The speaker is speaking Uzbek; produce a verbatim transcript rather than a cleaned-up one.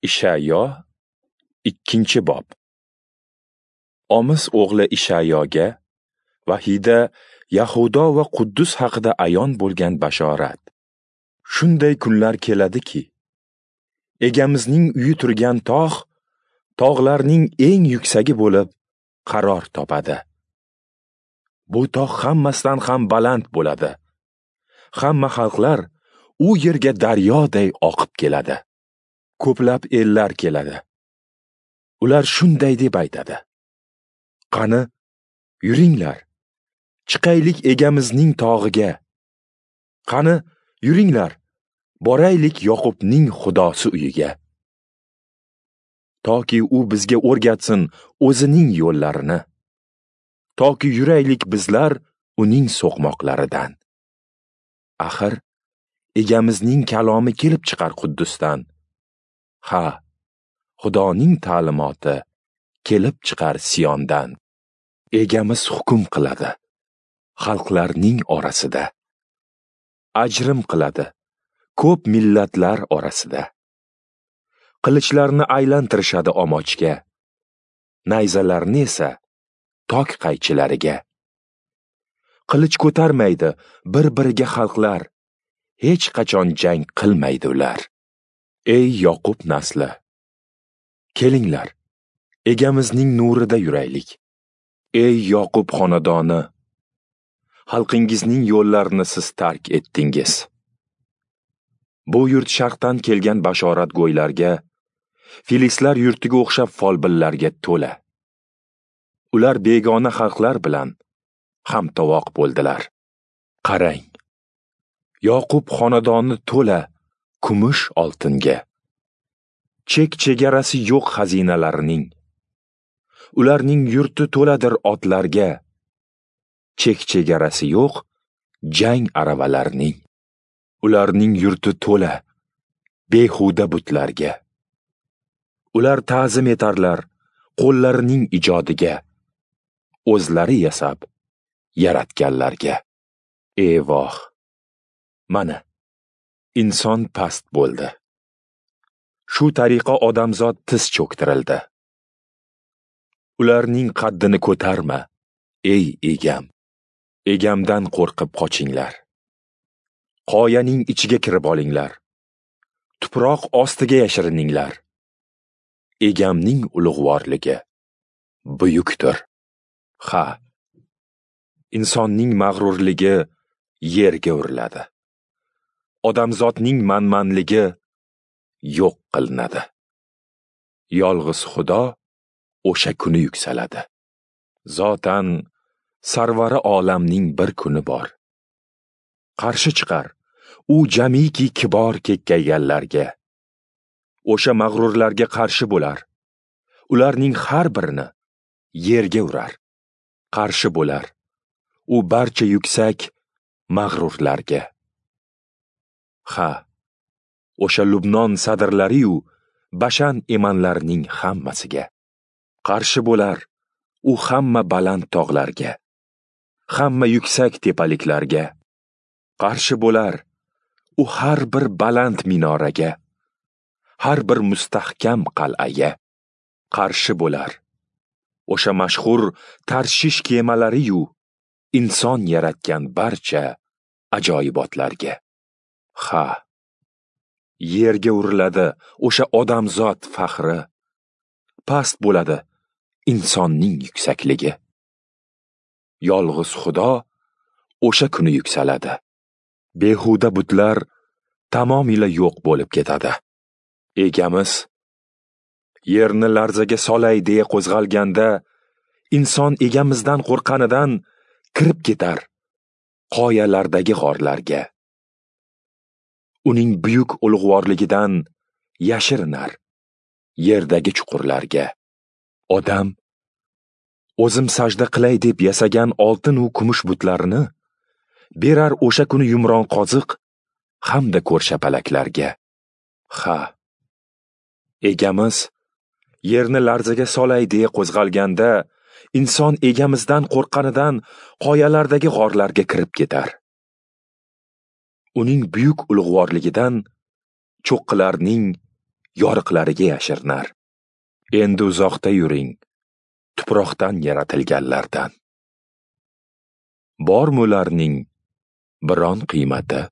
Ishayo, ikkinchi bob. Omis o'g'li Ishayoga vahiyda Yahudo va Quddus haqida ayon bo'lgan bashorat. Shunday kunlar keladiki, Egamizning uyi turgan tog' tog'larning eng yuksagi bo'lib qaror topadi. Bu tog' hammasidan ham baland bo'ladi. Hamma xalqlar u yerga daryoday oqib keladi. Ko'plab ellar keladi. Ular shunday deb aytadi: Qani, yuringlar, chiqaylik Egamizning tog'iga. Qani, yuringlar, boraylik Yoqubning Xudosi uyiga. Toki u bizga o'rgatsin o'zining yo'llarini. Toki yuraylik bizlar uning so'qmoqlaridan. Axir, Egamizning kalomi kelib chiqar Quddusdan. Ha, Xudoning ta'limoti kelib chiqar Siyondan. Egamiz hukm qiladi xalqlarning orasida. Ajrim qiladi ko'p millatlar orasida. Qilichlarni aylantirishadi omochga, nayzalarni esa tok qaychilariga. Qilich ko'tarmaydi bir-biriga xalqlar, hech qachon jang qilmaydi ular. Ey Yoqub nasli, kelinglar, Egamizning nurida yuraylik. Ey Yoqub xonadoni, xalqingizning yo'llarini siz tark etdingiz. Bu yurt sharqdan kelgan bashoratgo'ylarga, Filislar yurtiga o'xshab folbinlarga to'la. Ular begona xalqlar bilan hamtovoq bo'ldilar. Qarang, Yoqub xonadoni to'la kumush oltinga. Chek-chegarasi yo'q xazinalarining. Ularning yurti to'ladir otlarga. Chek-chegarasi yo'q jang aravalarining. Ularning yurti to'la behuda butlarga. Ular ta'zim etarlar qo'llarining ijodiga, o'zlari yasab yaratganlarga. Evoh! Mana, inson past bo'ldi. Shu tariqa odamzod tiz cho'ktirildi. Ularning qaddini ko'tarma, ey Egam. Egamdan qo'rqib qochinglar. Qoyaning ichiga kirib olinglar. Tuproq ostiga yashirininglar. Egamning ulug'vorligi buyukdir. Ha, insonning mag'rurligi yerga uriladi. Odamzodning manmanligi yo'q qilinadi. Yolg'iz Xudo o'sha kuni yuksaladi. Zotan sarvari olamning bir kuni bor. Qarshi chiqar u jamiki kibor kekkayganlarga. O'sha mag'rurlarga qarshi bo'lar. Ularning har birini yerga urar. Qarshi bo'lar u barcha yuksak mag'rurlarga. Ha, o'sha Lubnon sadrlari-yu Bashan emanlarining hammasiga. Qarshi bo'lar u hamma baland tog'larga, hamma yuksak tepaliklarga. Qarshi bo'lar u har bir baland minoraga, har bir mustahkam qal'aga. Qarshi bo'lar o'sha mashhur Tarshish kemalari-yu inson yaratgan barcha ajoyibotlarga. Ha, yerga uriladi o'sha odamzod faxri, past bo'ladi insonning yuksakligi. Yolg'iz Xudo o'sha kuni yuksaladi. Behuda butlar tamomila yo'q bo'lib ketadi. Egamiz yerni larzaga solay deya qo'zg'alganda, inson Egamizdan qo'rqqanidan kirib ketar qoyalardagi g'orlarga. Uning buyuk ulug'vorligidan yashirinar yerdagi chuqurlarga. Odam o'zim sajda qilay deb yasagan oltin u kumush butlarini berar o'sha kuni yumron qoziq hamda ko'rshapalaklarga. Ha, Egamiz yerni larzaga solay deya qo'zg'alganda, inson Egamizdan qo'rqqanidan qoyalardagi g'orlarga kirib ketar. Uning buyuk ulug'vorligidan cho'qqilarning yoriqlariga yashirinar. Endi uzoqda yuring, tuproqdan yaratilganlardan. Bormi ularning biron qiymati?